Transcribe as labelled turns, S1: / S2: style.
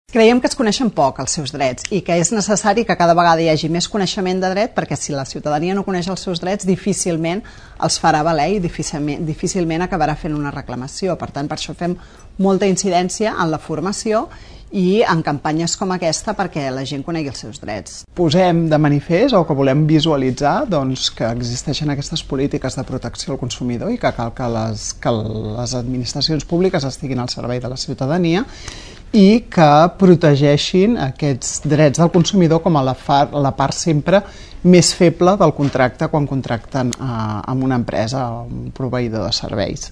S1: Creiem que es coneixen poc els seus drets i que és necessari que cada vegada hi hagi més coneixement de dret, perquè si la ciutadania no coneix els seus drets difícilment els farà valer i difícilment acabarà fent una reclamació. Per tant, per això fem molta incidència en la formació i en campanyes com aquesta perquè la gent conegui els seus drets.
S2: Posem de manifest o que volem visualitzar que existeixen aquestes polítiques de protecció al consumidor i que cal que les administracions públiques estiguin al servei de la ciutadania i que protegeixin aquests drets del consumidor com a la part sempre més feble del contracte quan contracten amb una empresa o un proveïdor de serveis.